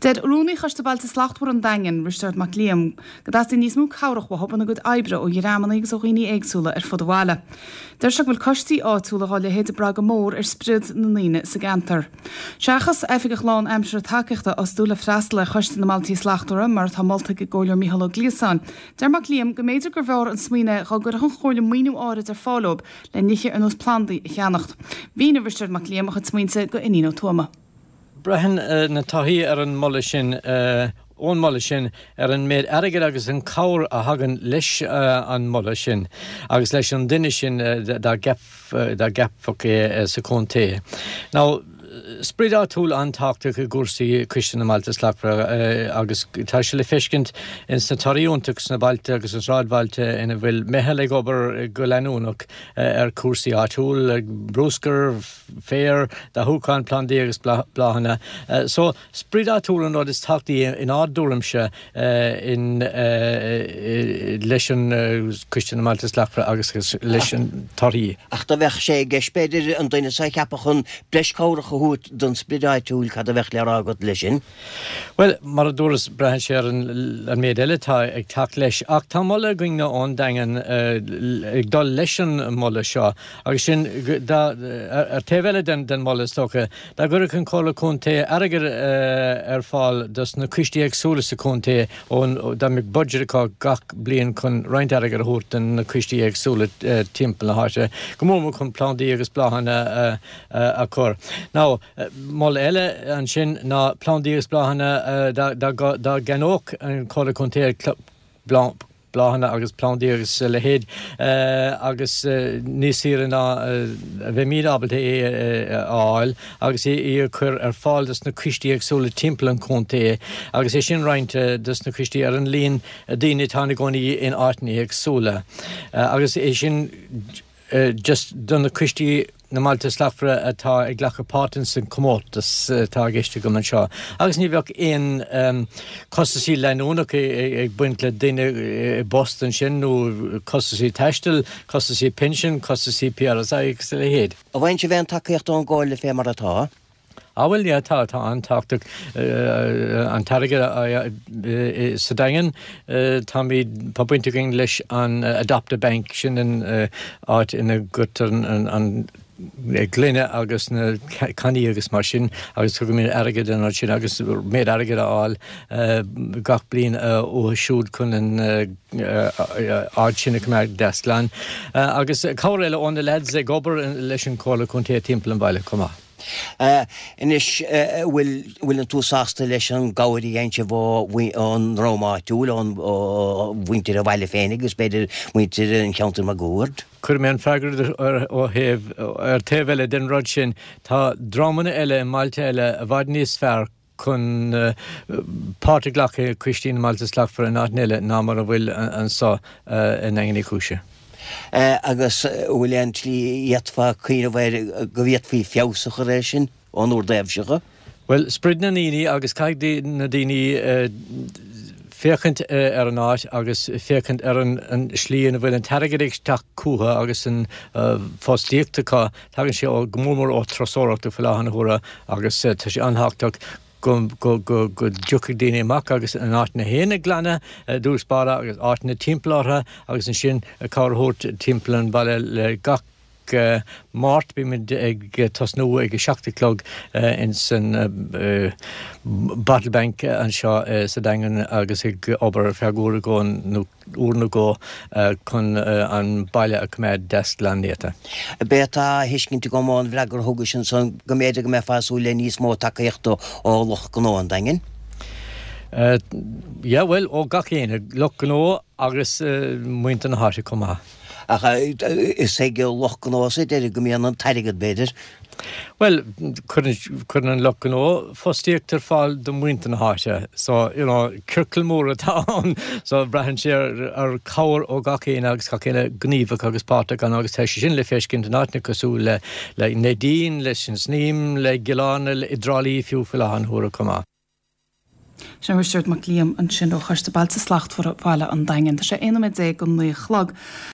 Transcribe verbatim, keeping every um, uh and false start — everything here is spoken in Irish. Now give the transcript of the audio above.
Deir Rúnaí Choiste Bailte Slachtmhara an Daingin, Risteard Mac Liam, go dteastaíonn níos mó cabhrach uathu ina gcuid oibre ó dhreamanna agus ó dhaoine éagsúla ar fud an bhaile. Deir sé go bhfuil coistí áitiúla dá leithéid ag brath go mór ar sprid na ndaoine sa gceantar. Seachas oifigeach lánaimseartha tacaíochta a fhostú le freastal ar Choiste na mBailte Slachtmhara mar atá molta ag an gComhairleoir Micheál Ó Gliasáin. Deir Mac Liam go mb'fhéidir gurbh fhearr an smaoineamh dá gcuirfeadh an Chomhairle maoiniú áirid ar fáil dóibh le nithe ar nós plandaí a cheannacht. Mhínigh Risteard Mac Liam a chuid smaointe do Iníon Ó Tuama. Braitheann na torthaí ar an moladh sin ón moladh sin ar an méid airgid agus an cabhair a thagann leis an moladh sin agus leis an duine sin dá gceapfadh é sa chontae. Now, sprid áitiúil an-tábhachtach i gcúrsaí Coiste na mBailte Slachtmhara agus tá sé le feiscint in sna torthaí iontacha sna bailte agus na sráidbhailte ina bhfuil meitheal ag obair go leanúnach ar cúrsaí áitiúil, bruscar, féar, dathúchán plandaí agus bláthanna. So sprid áitiúil an rud is tábhachtaí in ár dtuairimse in leis an Coiste na mBailte Slachtmhara agus leis an torthaí. Ach dá mbeadh sé i gceist b'fhéidir an duine seo a cheapadh chun breis cabhrach a thabhairt don sprid áitiúil cad a bheadh le rá agat leis sin? Well, mar a dúras braitheann sé ar an méid eile atá ag teacht leis, ach tá moladh againne ón Daingean ag dul leis an moladh seo agus sin ar taobh eile den den moladh is dócha, dá gcuirfeadh an Comhairle Contae airgead ar fáil dos na coistí éagsúla sa chontae ón dá mbeadh budget acu gach bliain chun roinnt airgead a thabhairt do na coistí éagsúla timpeall na háite, go mór mór chun plandaí agus bláthanna a chur. Now, moladh eile ansin ná plandaí agus bláthanna dá gceannódh an Comhairle Contae bláthanna agus plandaí agus a leithéid agus níos saoire ná a bheimid ábalta é a fháil agus é a chur ar fáil dos na coistí éagsúla timpeall an chontae agus é sin roinnt dos na coistí ar an líon daoine atá ina gcónaí in áiteanna éagsúla agus é sin just do na coistí na mBailte Slachtmhara atá ag glacadh páirt san comórtas atá i gceist agam anseo. Agus ní bheadh aon costasaí leanúnach ag baint le duine i bpost ansin nó costasaí taistil, costasaí pinsin, costasaí PRSI agus a leithéid. An bhfaigheann sibh aon tacaíocht ón gComhairle fé mar atá? Ah bhuel yeah tá tá an-tábhachtach an t-airgead sa Daingean táimid tá baint againn leis an Adopt a Bank sin an áit ina gcuirtear an gloine agus na cannaí agus mar sin agus tugaimid airgead an sin agus méid airgead a fháil gach bliain uathu siúd chun an áit sin a choimeád deas glan. Agus cabhair eile ó na lads ag obair leis an Chomhairle Contae timpeall an bhaile chomh maith. Anois bhfuil bhfuileann tú sásta leis an gcabhair a dhéanann sibh ón ndream áitiúil ón mhuintir an bhaile féin agus b'fhéidir muintir an cheantair máguaird? Cuirfidh mé an freagra ar ó thaobh ar taobh eile den rud sin tá dreamanna eile i mbailte eile i bhfad níos fearr chun páirt a ghlacadh i Coistí na mBailte Slachtmhara in áit eile ná mar a bhfuil anseo i nDaingean Uí Chúise. Agus bhfuil aon tslí d'fhéadfá cuimhneamh air go bhféadfaí feabhas a chur air sin ón bhur dtaobhse? Well, sprid na ndaoine agus caithfidh na daoine féachaint ar an áit agus féachaint ar an slí ina bhfuil an t-airgead ag teacht chucu agus an fostaíocht acu. Tagann sé ó go mór mór ó turasóireacht faoi láthair na huaire agus tá sé an-tábhachtach go go go go dtiocfaidh daoine amach agus an áit féin a ghlanadh i dtús báire agus áiteanna timpeall orthu agus ansin cabhair a thabhairt timpeall an bhaile le gach Máirt bímid ag tosnú ag a seacht a chlog in san Bottle Bank anseo sa Daingean agus ag obair ar feadh uair go nó uair nó dhó chun an baile a choimeád deas glan néata. B'é atá á thuiscint agam ón bhfreagra a thugais ansan go mb'fhéidir go mbeifeá ag súil le níos mó tacaíochta ó lucht gnó an Daingin. Yeah, well, ó gach éinne, lucht gnó agus muintir na háite chomh maith. Ach is ag lucht gnó sa deireadh go mbíonn an t-airgead, b'fhéidir. Well, cuireann an lucht gnó fostaíocht ar fáil do mhuintir na háite. So, you know, ciorcal mór atá ann. So braitheann sé ar, ar cabhair ó gach éinne agus gach éinne gníomhach agus páirteach ann agus tá sé sin le feiscint in áiteanna cosúil le le Neidín, leis an Snaidhm, le Cill Airne, i dTrá Lí fiú faoi láthair na huaire chomh maith. Sin Risteard Mac Liam ansin ó Choiste Bailte Slachtmhara Bhaile an Daingin. Tá sé aon nóiméad déag go naoi a chlog.